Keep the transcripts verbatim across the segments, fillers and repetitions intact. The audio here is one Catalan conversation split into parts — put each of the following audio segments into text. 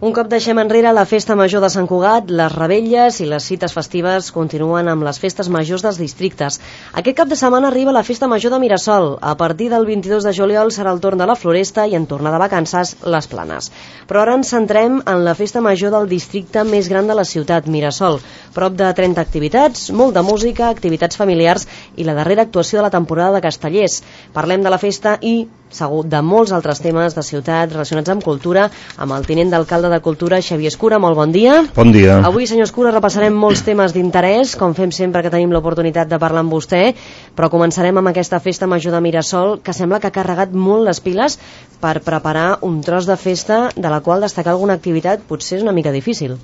Un cop deixem enrere la festa major de Sant Cugat, les revetlles i les cites festives continuen amb les festes majors dels districtes. Aquest cap de setmana arriba la festa major de Mirasol. A partir del vint-i-dos de juliol serà el torn de la Floresta i en tornar de vacances, les Planes. Però ara ens centrem en la festa major del districte més gran de la ciutat, Mirasol. Prop de trenta activitats, molt de música, activitats familiars i la darrera actuació de la temporada de Castellers. Parlem de la festa i, segur, de molts altres temes de ciutat relacionats amb cultura, amb el tinent d'alcalde de Cultura, Xavier Escura. Molt bon dia. Bon dia. Avui, senyor Escura, repassarem molts temes d'interès, com fem sempre que tenim l'oportunitat de parlar amb vostè, però començarem amb aquesta festa major de Mirasol, que sembla que ha carregat molt les piles per preparar un tros de festa de la qual destacar alguna activitat potser és una mica difícil.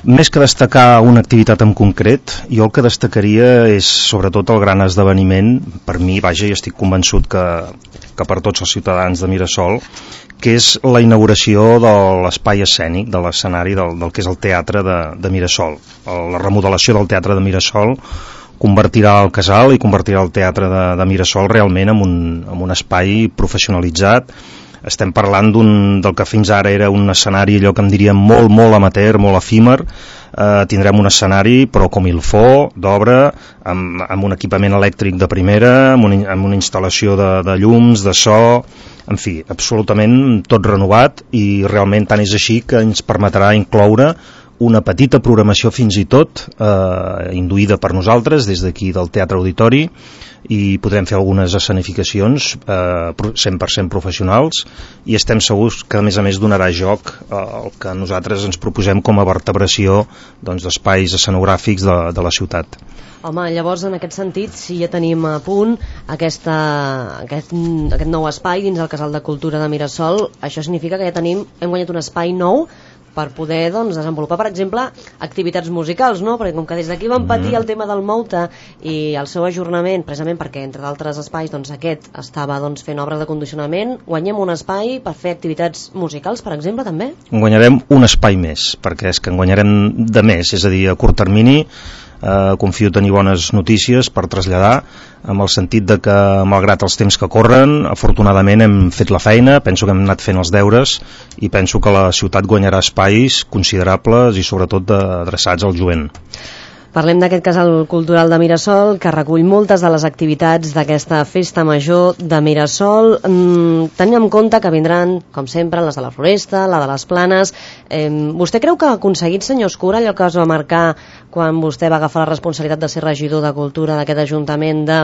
Més que destacar una activitat en concret, jo el que destacaria és sobretot el gran esdeveniment, per mi, vaja, i estic convençut que, que per tots els ciutadans de Mirasol, que és la inauguració de l'espai escènic, de l'escenari del, del que és el teatre de, de Mirasol. La remodelació del teatre de Mirasol convertirà el casal i convertirà el teatre de, de Mirasol realment en un, en un espai professionalitzat. Estem parlant d'un, del que fins ara era un escenari, allò que em diria molt, molt amateur, molt efímer. Eh, tindrem un escenari, però com il fo, d'obra, amb, amb un equipament elèctric de primera, amb, un, amb una instal·lació de, de llums, de so, en fi, absolutament tot renovat, i realment tant és així que ens permetrà incloure una petita programació fins i tot eh, induïda per nosaltres des d'aquí del Teatre Auditori, i podrem fer algunes escenificacions eh, cent per cent professionals, i estem segurs que a més a més donarà joc eh, el que nosaltres ens proposem com a vertebració doncs, d'espais escenogràfics de, de la ciutat. Home, llavors en aquest sentit, si ja tenim a punt aquesta, aquest, aquest nou espai dins el Casal de Cultura de Mirasol, això significa que ja tenim, hem guanyat un espai nou per poder doncs, desenvolupar, per exemple, activitats musicals, no? Perquè com que des d'aquí vam patir el tema del Mouta i el seu ajornament, precisament perquè, entre d'altres espais, doncs, aquest estava doncs, fent obres de condicionament, guanyem un espai per fer activitats musicals, per exemple, també? Guanyarem un espai més, perquè és que en guanyarem de més, és a dir, a curt termini. Uh, confio tenir bones notícies per traslladar, amb el sentit de que, malgrat els temps que corren, afortunadament hem fet la feina, penso que hem anat fent els deures, i penso que la ciutat guanyarà espais considerables i sobretot adreçats al jovent. Parlem d'aquest casal cultural de Mirasol, que recull moltes de les activitats d'aquesta festa major de Mirasol. Mm, tenim en compte que vindran, com sempre, les de la Floresta, la de les Planes. Eh, vostè creu que ha aconseguit, senyor Escura, allò que es va marcar quan vostè va agafar la responsabilitat de ser regidor de Cultura d'aquest Ajuntament, de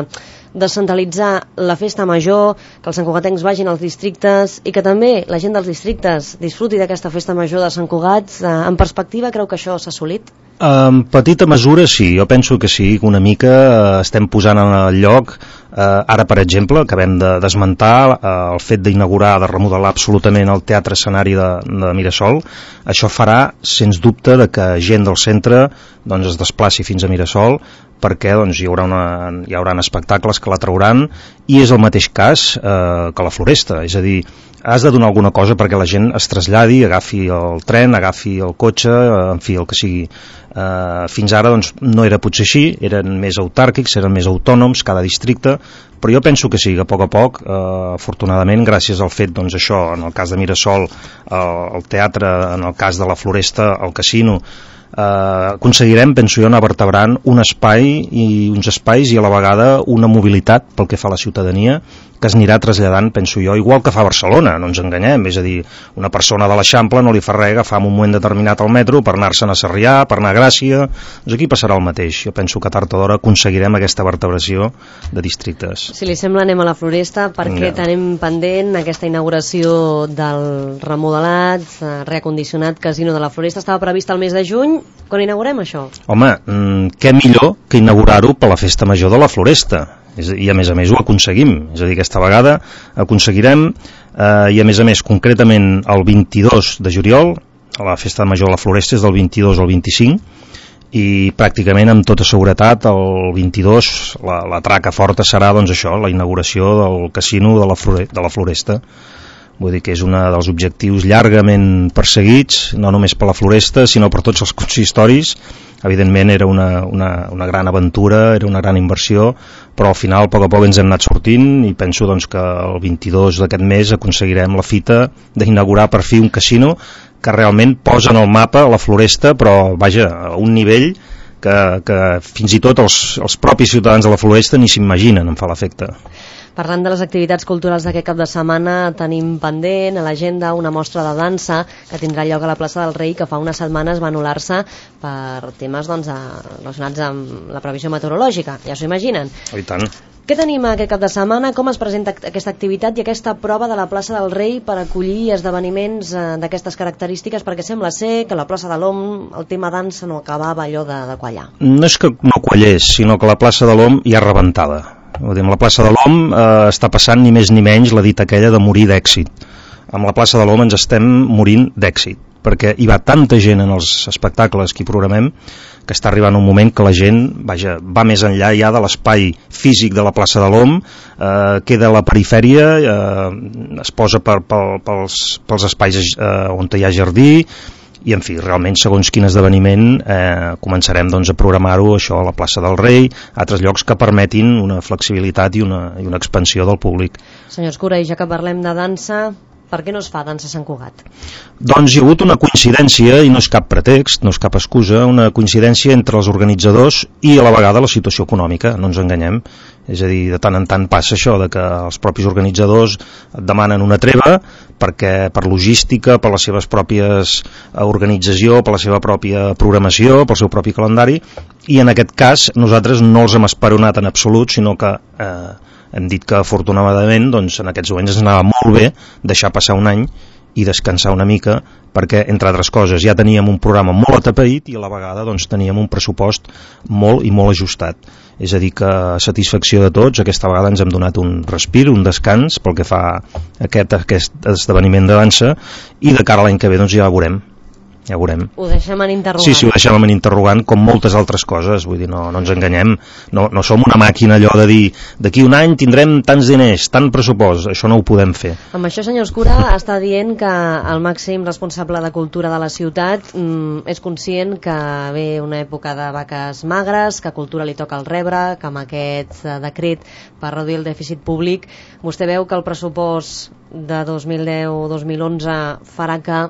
descentralitzar la festa major, que els santcugatencs vagin als districtes i que també la gent dels districtes disfruti d'aquesta festa major de Sant Cugat? Eh, en perspectiva, creu que això s'ha assolit? En petita mesura sí, jo penso que sí, que una mica eh, estem posant en el lloc, eh, ara per exemple acabem de desmuntar eh, el fet d'inaugurar, de remodelar absolutament el teatre escenari de, de Mirasol. Això farà sens dubte de que gent del centre doncs, es desplaci fins a Mirasol, perquè doncs, hi, haurà una, hi haurà espectacles que la trauran, i és el mateix cas eh, que la Floresta, és a dir, has de donar alguna cosa perquè la gent es traslladi, agafi el tren, agafi el cotxe, en fi, el que sigui. Uh, fins ara doncs, no era potser així, eren més autàrquics, eren més autònoms cada districte, però jo penso que sí, que a poc a poc, uh, afortunadament, gràcies al fet, doncs això, en el cas de Mirasol, uh, el teatre, en el cas de la Floresta, el casino, Uh, aconseguirem, penso jo, anar vertebrant un espai i uns espais i a la vegada una mobilitat pel que fa a la ciutadania que es anirà traslladant, penso jo, igual que fa Barcelona, no ens enganyem, és a dir, una persona de l'Eixample no li fa res agafar en un moment determinat el metro per anar-se'n a Sarrià, per anar a Gràcia, doncs aquí passarà el mateix. Jo penso que tard o d'hora aconseguirem aquesta vertebració de districtes. Si li sembla, anem a la Floresta, perquè ja tenim pendent aquesta inauguració del remodelat, reacondicionat casino de la Floresta. Estava previst el mes de juny. Quan inaugurem això? Home, mmm, què millor que inaugurar-ho per la festa major de la Floresta? I a més a més ho aconseguim, és a dir, aquesta vegada aconseguirem, eh, i a més a més concretament el vint-i-dos de juliol, la festa major de la Floresta és del vint-i-dos al vint-i-cinc, i pràcticament amb tota seguretat el vint-i-dos la, la traca forta serà doncs això, la inauguració del casino de la, Flore, de la Floresta. Vull dir que és un dels objectius llargament perseguits, no només per la Floresta, sinó per tots els consistoris. Evidentment era una, una, una gran aventura, era una gran inversió, però al final a poc a poc ens hem anat sortint i penso doncs, que el vint-i-dos d'aquest mes aconseguirem la fita d'inaugurar per fi un casino que realment posen al mapa la Floresta, però vaja, a un nivell que, que fins i tot els, els propis ciutadans de la Floresta ni s'imaginen, em fa l'efecte. Parlant de les activitats culturals d'aquest cap de setmana, tenim pendent a l'agenda una mostra de dansa que tindrà lloc a la plaça del Rei, que fa unes setmanes va anul·lar-se per temes doncs, relacionats amb la previsió meteorològica, ja s'ho imaginen. Oh, i tant. Què tenim aquest cap de setmana? Com es presenta aquesta activitat i aquesta prova de la plaça del Rei per acollir esdeveniments eh, d'aquestes característiques? Perquè sembla ser que la plaça de l'Om, el tema dansa no acabava allò de, de quallar. No és que no quallés, sinó que la plaça de l'Om ja rebentada. La plaça de l'Om eh, està passant ni més ni menys la dita aquella de morir d'èxit. Amb la plaça de l'Om ens estem morint d'èxit, perquè hi va tanta gent en els espectacles que hi programem que està arribant un moment que la gent vaja, va més enllà ja de l'espai físic de la plaça de l'Om, eh, queda a la perifèria, eh, es posa per, per, pels, pels espais eh, on hi ha jardí, i en fi, realment segons quin esdeveniment eh, començarem doncs, a programar-ho això a la plaça del Rei, a altres llocs que permetin una flexibilitat i una, i una expansió del públic. Senyor Escura, i ja que parlem de dansa, per què no es fa dansa a Sant Cugat? Doncs hi ha hagut una coincidència, i no és cap pretext, no és cap excusa, una coincidència entre els organitzadors i a la vegada la situació econòmica, no ens enganyem. És a dir, de tant en tant passa això, de que els propis organitzadors et demanen una treva perquè per logística, per les seves pròpies organització, per la seva pròpia programació, pel seu propi calendari, i en aquest cas nosaltres no els hem esperonat en absolut, sinó que eh, hem dit que afortunadament doncs, en aquests moments ens anava molt bé deixar passar un any i descansar una mica, perquè entre altres coses ja teníem un programa molt atapeït i a la vegada doncs, teníem un pressupost molt i molt ajustat. És a dir que a satisfacció de tots aquesta vegada ens hem donat un respir, un descans pel que fa a aquest, aquest esdeveniment de dansa, i de cara a l'any que ve doncs, ja veurem ja ho veurem. Ho deixem en interrogant. Sí, sí, ho deixem en interrogant, com moltes altres coses, vull dir, no, no ens enganyem, no, no som una màquina allò de dir, d'aquí un any tindrem tants diners, tant pressupost, això no ho podem fer. Amb això, senyor Escura, està dient que el màxim responsable de cultura de la ciutat mm, és conscient que ve una època de vaques magres, que a cultura li toca el rebre, que amb aquest eh, decret per reduir el dèficit públic, vostè veu que el pressupost de dos mil deu dos mil onze farà que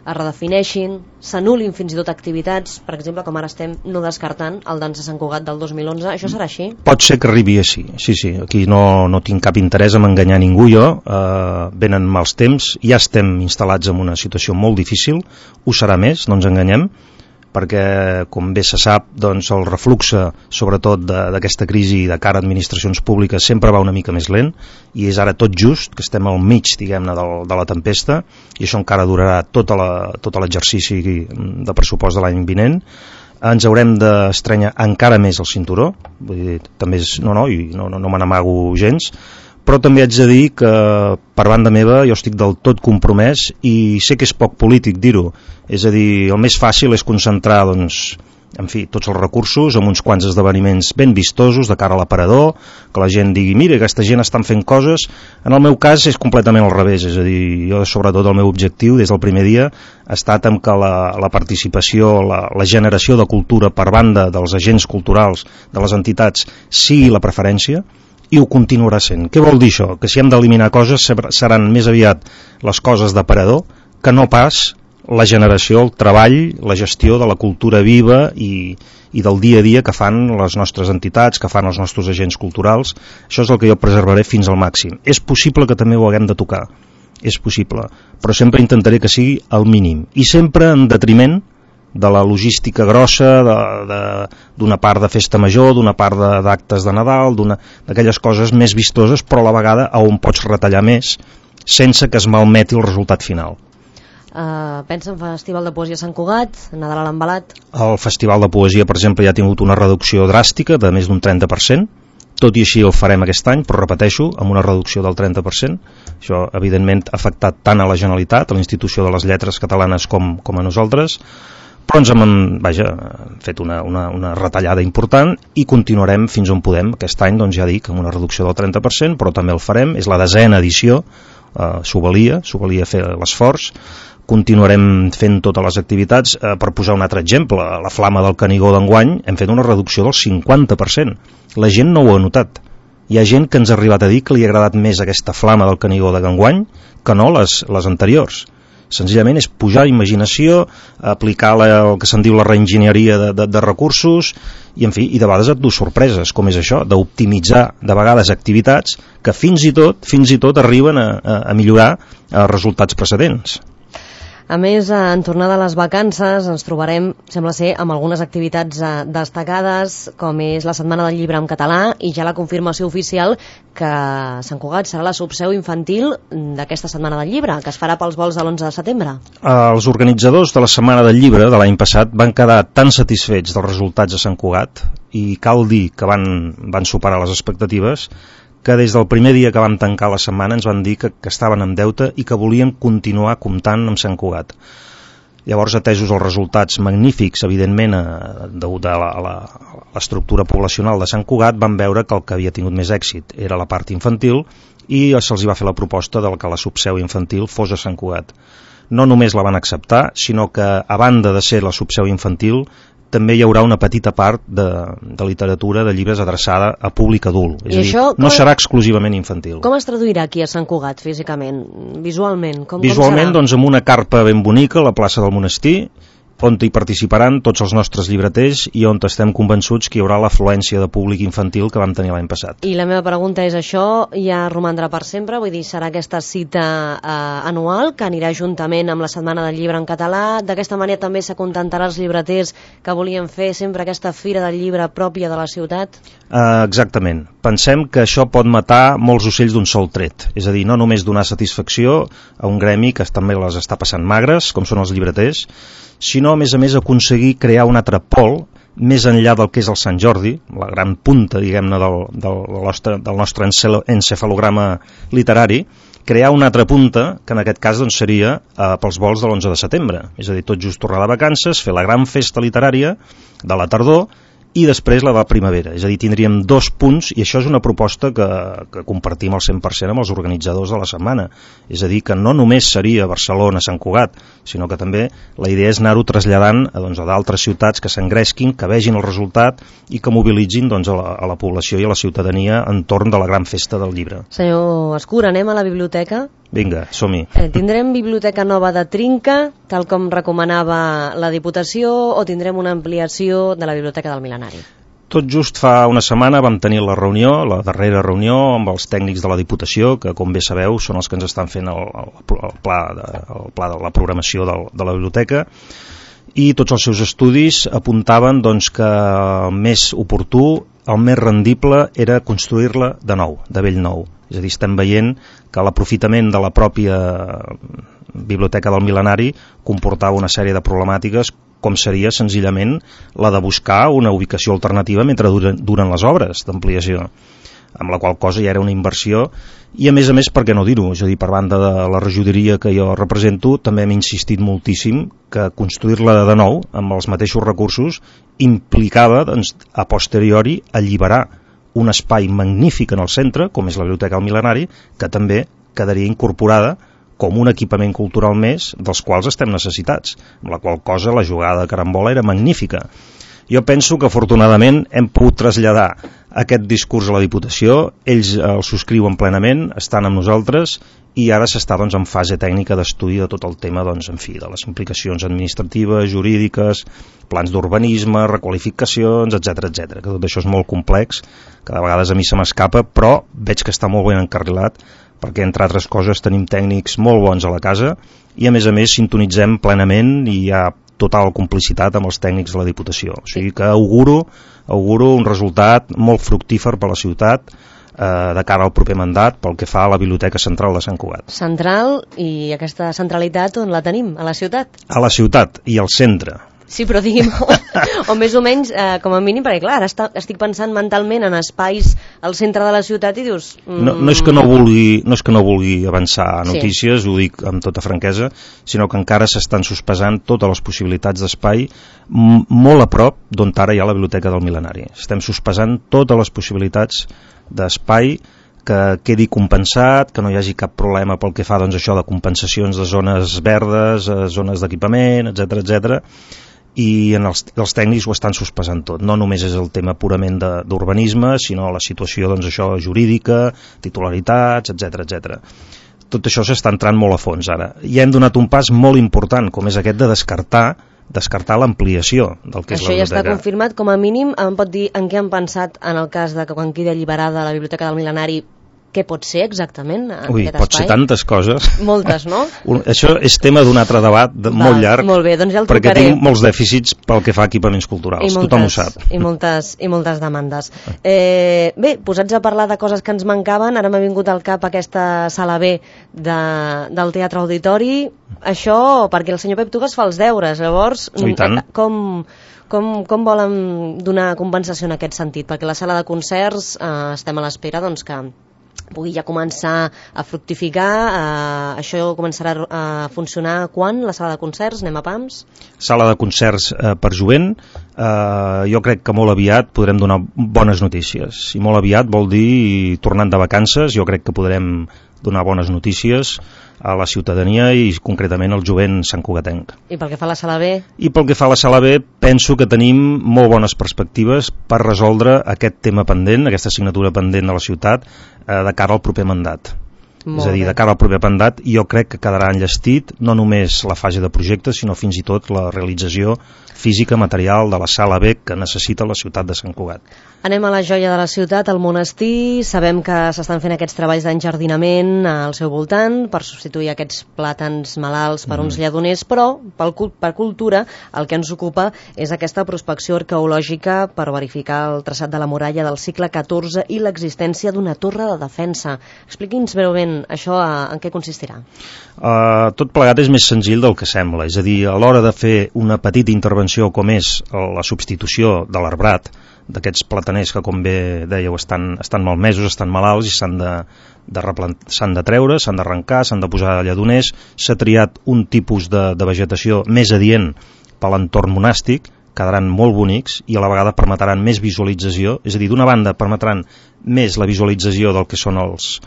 es redefineixin, s'anul·lin fins i tot activitats, per exemple, com ara estem no descartant el Dansa Sant Cugat del dos mil onze, això serà així? Pot ser que arribi així, sí, sí, aquí no, no tinc cap interès en enganyar ningú jo, eh, venen mals temps, ja estem instal·lats en una situació molt difícil, ho serà més, no ens enganyem, perquè, com bé se sap, doncs, el refluxe, sobretot d'aquesta crisi de cara a administracions públiques, sempre va una mica més lent, i és ara tot just que estem al mig, diguem-ne, de, de la tempesta, i això encara durarà tot l'exercici de pressupost de l'any vinent. Ens haurem d'estrenyar encara més el cinturó, vull dir, també és, no, no, i no, no, no me n'amago gens, però també haig de dir que per banda meva jo estic del tot compromès i sé que és poc polític dir-ho, és a dir, el més fàcil és concentrar doncs, en fi, tots els recursos en uns quants esdeveniments ben vistosos de cara a l'aparador, que la gent digui mira, aquesta gent estan fent coses. En el meu cas és completament al revés, és a dir, jo sobretot el meu objectiu des del primer dia ha estat en que la, la participació, la, la generació de cultura per banda dels agents culturals, de les entitats, sigui la preferència, i ho continuarà sent. Què vol dir això? Que si hem d'eliminar coses seran més aviat les coses d'aparador que no pas la generació, el treball, la gestió de la cultura viva i, i del dia a dia que fan les nostres entitats, que fan els nostres agents culturals. Això és el que jo preservaré fins al màxim. És possible que també ho haguem de tocar, és possible, però sempre intentaré que sigui al mínim i sempre en detriment de la logística grossa, d'una part de festa major, d'una part d'actes de, de Nadal, d'aquelles coses més vistoses, però a la vegada on pots retallar més sense que es malmeti el resultat final. Uh, pensa en Festival de Poesia Sant Cugat, Nadal a l'Embalat? El Festival de Poesia, per exemple, ja ha tingut una reducció dràstica de més d'un trenta per cent, tot i així el farem aquest any, però repeteixo, amb una reducció del trenta per cent. Això, evidentment, ha afectat tant a la Generalitat, a la Institució de les Lletres Catalanes, com, com a nosaltres, però ens hem, vaja, fet una, una, una retallada important i continuarem fins on podem. Aquest any, doncs ja dic, amb una reducció del trenta per cent, però també el farem, és la desena edició, eh, s'ho valia, s'ho valia fer l'esforç, continuarem fent totes les activitats. Eh, per posar un altre exemple, la Flama del Canigó d'enguany hem fet una reducció del cinquanta per cent. La gent no ho ha notat. Hi ha gent que ens ha arribat a dir que li ha agradat més aquesta Flama del Canigó d'enguany que no les, les anteriors. Senzillament és pujar imaginació, aplicar la, el que se'n diu la reenginyeria de, de, de recursos i, en fi, i de vegades et du sorpreses, com és això, d'optimitzar de vegades activitats que fins i tot fins i tot arriben a, a, a millorar els resultats precedents. A més, en tornada a les vacances ens trobarem, sembla ser, amb algunes activitats destacades, com és la Setmana del Llibre en català i ja la confirmació oficial que Sant Cugat serà la subseu infantil d'aquesta Setmana del Llibre, que es farà pels vols de l'onze de setembre. Els organitzadors de la Setmana del Llibre de l'any passat van quedar tan satisfets dels resultats de Sant Cugat i cal dir que van, van superar les expectatives que des del primer dia que vam tancar la setmana ens van dir que, que estaven en deute i que volíem continuar comptant amb Sant Cugat. Llavors, atesos els resultats magnífics, evidentment, degut a l'estructura poblacional de Sant Cugat, van veure que el que havia tingut més èxit era la part infantil i se'ls va fer la proposta de que la subseu infantil fos a Sant Cugat. No només la van acceptar, sinó que, a banda de ser la subseu infantil, també hi haurà una petita part de, de literatura, de llibres adreçada a públic adult. És a dir, com... no serà exclusivament infantil. Com es traduirà aquí a Sant Cugat, físicament, visualment? Com, visualment, com doncs, amb una carpa ben bonica a la plaça del Monestir, on hi participaran tots els nostres llibreters i on estem convençuts que hi haurà l'afluència de públic infantil que vam tenir l'any passat. I la meva pregunta és, això ja romandrà per sempre? Vull dir, serà aquesta cita eh, anual que anirà juntament amb la Setmana del Llibre en català? D'aquesta manera també s'acontentarà els llibreters que volien fer sempre aquesta fira del llibre pròpia de la ciutat? Uh, exactament. Pensem que això pot matar molts ocells d'un sol tret. És a dir, no només donar satisfacció a un gremi que també les està passant magres, com són els llibreters, sinó, a més a més, aconseguir crear un altre pol més enllà del que és el Sant Jordi, la gran punta, diguem-ne, del, del, nostre, del nostre encefalograma literari, crear una altra punta, que en aquest cas doncs, seria eh, pels vols de l'onze de setembre. És a dir, tot just tornar de vacances, fer la gran festa literària de la tardor, i després la de la primavera. És a dir, tindríem dos punts, i això és una proposta que, que compartim al cent per cent amb els organitzadors de la setmana. És a dir, que no només seria Barcelona, Sant Cugat, sinó que també la idea és anar-ho traslladant a, doncs, a d'altres ciutats que s'engresquin, que vegin el resultat i que mobilitzin doncs, a, la, a la població i a la ciutadania entorn de la gran festa del llibre. Senyor Escura, anem a la biblioteca? Vinga, som-hi. Eh, tindrem biblioteca nova de trinca, tal com recomanava la Diputació, o tindrem una ampliació de la biblioteca del Mil·lenari? Tot just fa una setmana vam tenir la reunió, la darrera reunió amb els tècnics de la Diputació, que com bé sabeu són els que ens estan fent el, el, el, pla, de, el pla de la programació del, de la biblioteca, i tots els seus estudis apuntaven doncs, que el més oportú, el més rendible era construir-la de nou, de bell nou. És a dir, estem veient que l'aprofitament de la pròpia biblioteca del Mil·lenari comportava una sèrie de problemàtiques, com seria senzillament la de buscar una ubicació alternativa mentre duren, duren les obres d'ampliació, amb la qual cosa ja era una inversió, i a més a més, per què no dir-ho, és a dir, per banda de la regidoria que jo represento, també hem insistit moltíssim que construir-la de nou, amb els mateixos recursos, implicava, doncs, a posteriori, alliberar un espai magnífic en el centre, com és la Biblioteca del Mil·lenari, que també quedaria incorporada com un equipament cultural més dels quals estem necessitats, amb la qual cosa la jugada de carambola era magnífica. Jo penso que afortunadament hem pogut traslladar aquest discurs a la Diputació, ells el subscriuen plenament, estan amb nosaltres, i ara s'està doncs, en fase tècnica d'estudi de tot el tema doncs, en fi, de les implicacions administratives, jurídiques, plans d'urbanisme, requalificacions, etcètera, etcètera, que tot això és molt complex, que de vegades a mi se m'escapa, però veig que està molt ben encarrilat, perquè entre altres coses tenim tècnics molt bons a la casa i a més a més sintonitzem plenament i hi ha total complicitat amb els tècnics de la Diputació. O sigui que auguro, auguro un resultat molt fructífer per a la ciutat eh, de cara al proper mandat pel que fa a la Biblioteca Central de Sant Cugat. Central, i aquesta centralitat on la tenim? A la ciutat? A la ciutat i al centre. Sí, però digui'm, o, o més o menys, eh, com a mínim, perquè clar, ara està, estic pensant mentalment en espais al centre de la ciutat i dius... Mm... No, no, és que no, vulgui, no és que no vulgui avançar notícies, sí. Ho dic amb tota franquesa, sinó que encara s'estan sospesant totes les possibilitats d'espai molt a prop d'on ara hi ha la Biblioteca del Mil·lenari. Estem sospesant totes les possibilitats d'espai que quedi compensat, que no hi hagi cap problema pel que fa doncs, això de compensacions de zones verdes, zones d'equipament, etcètera, etcètera, i en els, els tècnics ho estan sospesant tot. No només és el tema purament d'urbanisme, sinó la situació doncs, això jurídica, titularitats, etcètera, etcètera. tot això s'està entrant molt a fons ara. I hem donat un pas molt important, com és aquest de descartar descartar l'ampliació del que és això la biblioteca. Això ja està confirmat, com a mínim em pot dir en què han pensat en el cas de que quan quedi alliberada la Biblioteca del Mil·lenari, què pot ser exactament en Ui, aquest pot espai? ser tantes coses. Moltes, no? Un, això és tema d'un altre debat de, Va, molt llarg, molt bé, doncs ja el perquè trucaré. tinc molts dèficits pel que fa a equipaments culturals, I moltes, tothom ho sap. I moltes, i moltes demandes. Eh, bé, posats a parlar de coses que ens mancaven, ara m'ha vingut al cap aquesta sala B de, del Teatre Auditori, això perquè el senyor Pep Tugas fa els deures, llavors I tant. com... Com, com volen donar compensació en aquest sentit? Perquè la sala de concerts eh, estem a l'espera doncs, que pugui ja començar a fructificar. Eh, això començarà a funcionar quan, la sala de concerts? Anem a pams? Sala de concerts eh, per jovent. Eh, jo crec que molt aviat podrem donar bones notícies. I molt aviat vol dir, tornant de vacances, jo crec que podrem donar bones notícies a la ciutadania i concretament al jovent santcugatenc. I pel que fa a la sala B? I pel que fa a la sala B, penso que tenim molt bones perspectives per resoldre aquest tema pendent, aquesta assignatura pendent de la ciutat, eh, de cara al proper mandat. Molt és a dir, bé. De cara al proper mandat, jo crec que quedarà enllestit no només la fase de projecte, sinó fins i tot la realització física, material de la sala B que necessita la ciutat de Sant Cugat. Anem a la joia de la ciutat, al monestir. Sabem que s'estan fent aquests treballs d'enjardinament al seu voltant per substituir aquests plàtans malalts per mm. uns lledoners, però pel, per cultura el que ens ocupa és aquesta prospecció arqueològica per verificar el traçat de la muralla del segle catorze i l'existència d'una torre de defensa. Expliqui'ns breument això, en què consistirà. Uh, tot plegat és més senzill del que sembla, és a dir, a l'hora de fer una petita intervenció com és la substitució de l'arbrat, d'aquests plataners que, com bé dèieu, estan, estan malmesos, estan malalts i s'han de, de, s'han de treure, s'han d'arrencar, s'han de posar lledoners. S'ha triat un tipus de, de vegetació més adient per l'entorn monàstic, quedaran molt bonics i a la vegada permetran més visualització, és a dir, d'una banda permetran més la visualització del que són els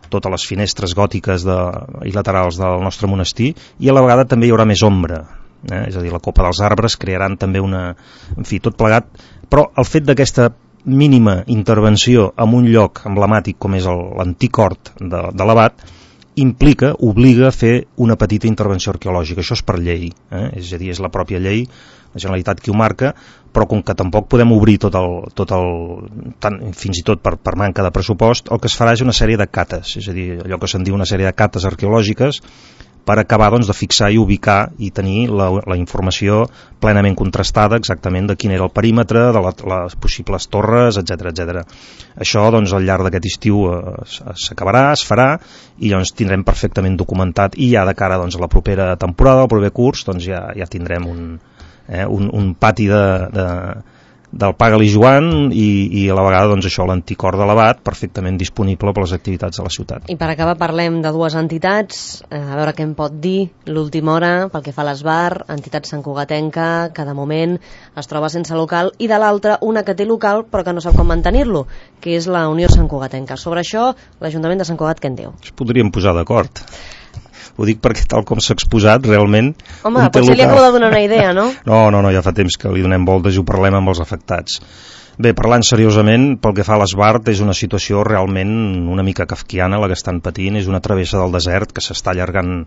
totes les finestres gòtiques de, i laterals del nostre monestir, i a la vegada també hi haurà més ombra, eh? És a dir, la copa dels arbres crearan també una... En fi, tot plegat, però el fet d'aquesta mínima intervenció en un lloc emblemàtic com és l'antic hort de, de l'Abat implica, obliga a fer una petita intervenció arqueològica. Això és per llei, eh? És a dir, és la pròpia llei, la Generalitat qui ho marca, però com que tampoc podem obrir tot el, tot el tant, fins i tot per, per manca de pressupost, el que es farà és una sèrie de cates, és a dir, allò que se'n diu una sèrie de cates arqueològiques per acabar doncs, de fixar i ubicar i tenir la, la informació plenament contrastada exactament de quin era el perímetre, de la, les possibles torres, etcètera etcètera. Això doncs, al llarg d'aquest estiu eh, s'acabarà, es farà i llavors tindrem perfectament documentat i ja de cara doncs, a la propera temporada, al proper curs, doncs ja, ja tindrem un, eh, un, un pati de, de del Paga-li Joan i, i a la vegada doncs, això l'antic hort de l'Abat perfectament disponible per les activitats de la ciutat. I per acabar parlem de dues entitats, eh, a veure què em pot dir l'última hora pel que fa a l'Esbar, entitat santcugatenca que de moment es troba sense local, i de l'altra una que té local però que no sap com mantenir-lo, que és la Unió Santcugatenca. Sobre això l'Ajuntament de Sant Cugat què en diu? Es podríem posar d'acord. Ho dic perquè tal com s'ha exposat realment... Home, potser li acabo de donar una idea, no? No, no, no, ja fa temps que li donem voltes i ho parlem amb els afectats. Bé, parlant seriosament, pel que fa a l'Esbart, és una situació realment una mica kafkiana la que estan patint, és una travessa del desert que s'està allargant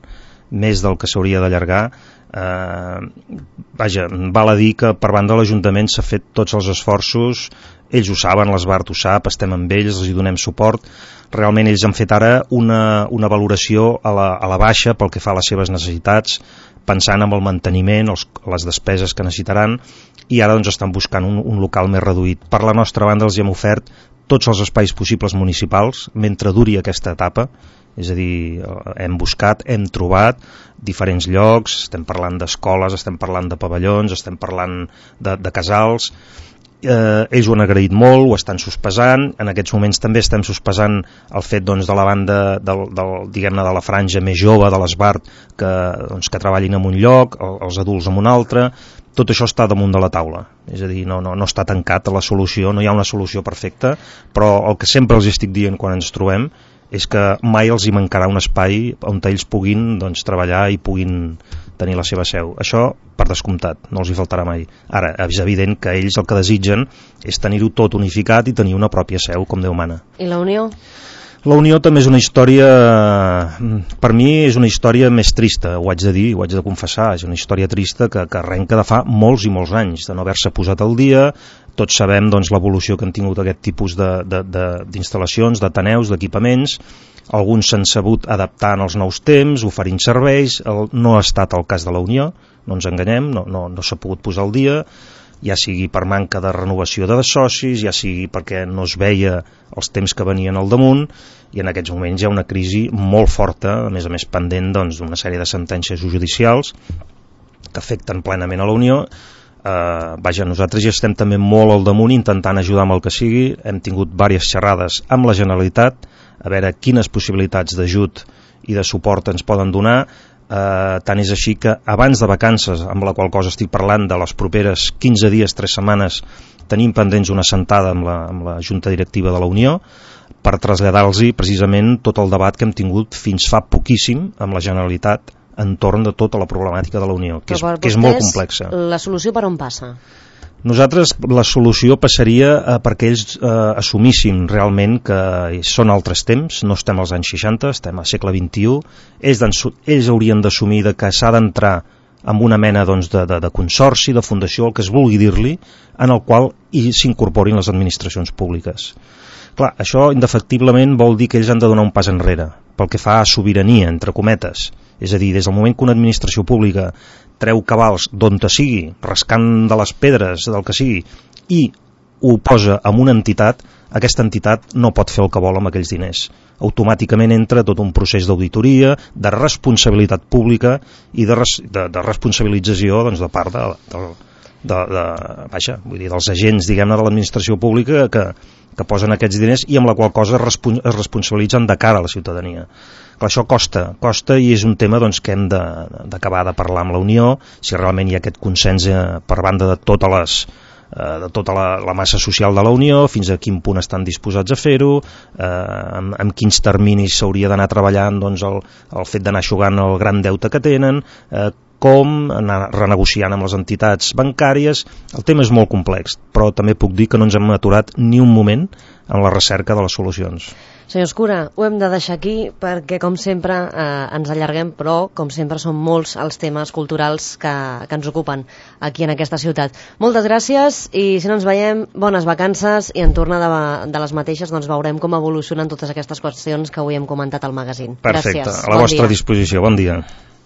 més del que s'hauria d'allargar. Eh, vaja, val a dir que per banda de l'Ajuntament s'ha fet tots els esforços, ells ho saben, l'Esbart ho sap, estem amb ells, els hi donem suport. Realment ells han fet ara una, una valoració a la, a la baixa pel que fa a les seves necessitats, pensant en el manteniment, els, les despeses que necessitaran, i ara doncs, estan buscant un, un local més reduït. Per la nostra banda els hem ofert tots els espais possibles municipals mentre duri aquesta etapa, és a dir, hem buscat, hem trobat diferents llocs, estem parlant d'escoles, estem parlant de pavellons, estem parlant de, de casals. Eh, ells ho han agraït molt, ho estan sospesant, en aquests moments també estem sospesant el fet doncs, de la banda del, del, diguem-ne, de la franja més jove de l'Esbart que, doncs, que treballin en un lloc, els adults en un altre. Tot això està damunt de la taula, és a dir, no, no, no està tancat la solució, no hi ha una solució perfecta, però el que sempre els estic dient quan ens trobem és que mai els hi mancarà un espai on ells puguin doncs, treballar i puguin tenir la seva seu. Això, per descomptat, no els hi faltarà mai. Ara, és evident que ells el que desitgen és tenir-ho tot unificat i tenir una pròpia seu, com Déu mana. I la Unió? La Unió també és una història, per mi és una història més trista, ho haig de dir, ho haig de confessar, és una història trista que, que arrenca de fa molts i molts anys, de no haver-se posat al dia. Tots sabem doncs, l'evolució que han tingut aquest tipus d'instal·lacions, d'ateneus, d'equipaments. Alguns s'han sabut adaptar als nous temps, oferint serveis. El, no ha estat el cas de la Unió, no ens enganyem, no, no, no s'ha pogut posar al dia, ja sigui per manca de renovació de socis, ja sigui perquè no es veia els temps que venien al damunt, i en aquests moments hi ha una crisi molt forta, a més a més pendent doncs, d'una sèrie de sentències judicials que afecten plenament a la Unió. Eh, vaja, nosaltres ja estem també molt al damunt intentant ajudar amb el que sigui. Hem tingut diverses xerrades amb la Generalitat a veure quines possibilitats d'ajut i de suport ens poden donar. Uh, tant és així que abans de vacances, amb la qual cosa estic parlant de les properes quinze dies, tres setmanes, tenim pendents una sentada amb la, amb la Junta Directiva de la Unió per traslladar-los precisament tot el debat que hem tingut fins fa poquíssim amb la Generalitat entorn de tota la problemàtica de la Unió, que, és, que és molt complexa. La solució per on passa? Nosaltres la solució passaria eh, perquè ells eh, assumissin realment que són altres temps, no estem als anys seixanta, estem al segle vint-i-u. Ells, ells haurien d'assumir que s'ha d'entrar amb una mena doncs, de, de, de consorci, de fundació, el que es vulgui dir-li, en el qual s'incorporin les administracions públiques. Clar, això indefectiblement vol dir que ells han de donar un pas enrere, pel que fa a sobirania, entre cometes. És a dir, des del moment que una administració pública treu cabals d'on te sigui, rascant de les pedres, del que sigui, i ho posa en una entitat, aquesta entitat no pot fer el que vol amb aquells diners. Automàticament entra tot un procés d'auditoria, de responsabilitat pública i de, res, de, de responsabilització doncs, de part de, de, de, de, vaja, vull dir, dels agents, diguem-ne, de l'administració pública que, que posen aquests diners i amb la qual cosa es, respon, es responsabilitzen de cara a la ciutadania. Clar, això costa, costa i és un tema doncs, que hem d'acabar de, de parlar amb la Unió, si realment hi ha aquest consens eh, per banda de totes les, eh, de tota la, la massa social de la Unió, fins a quin punt estan disposats a fer-ho, eh, amb, amb quins terminis s'hauria d'anar treballant doncs, el, el fet d'anar eixugant el gran deute que tenen, eh, com anar renegociant amb les entitats bancàries. El tema és molt complex, però també puc dir que no ens hem aturat ni un moment en la recerca de les solucions. Senyor Escura, ho hem de deixar aquí perquè, com sempre, eh, ens allarguem, però, com sempre, són molts els temes culturals que, que ens ocupen aquí en aquesta ciutat. Moltes gràcies i, si no ens veiem, bones vacances i en tornar de, de les mateixes doncs veurem com evolucionen totes aquestes qüestions que avui hem comentat al magazín. Perfecte, gràcies. a la bon vostra dia. disposició. Bon dia.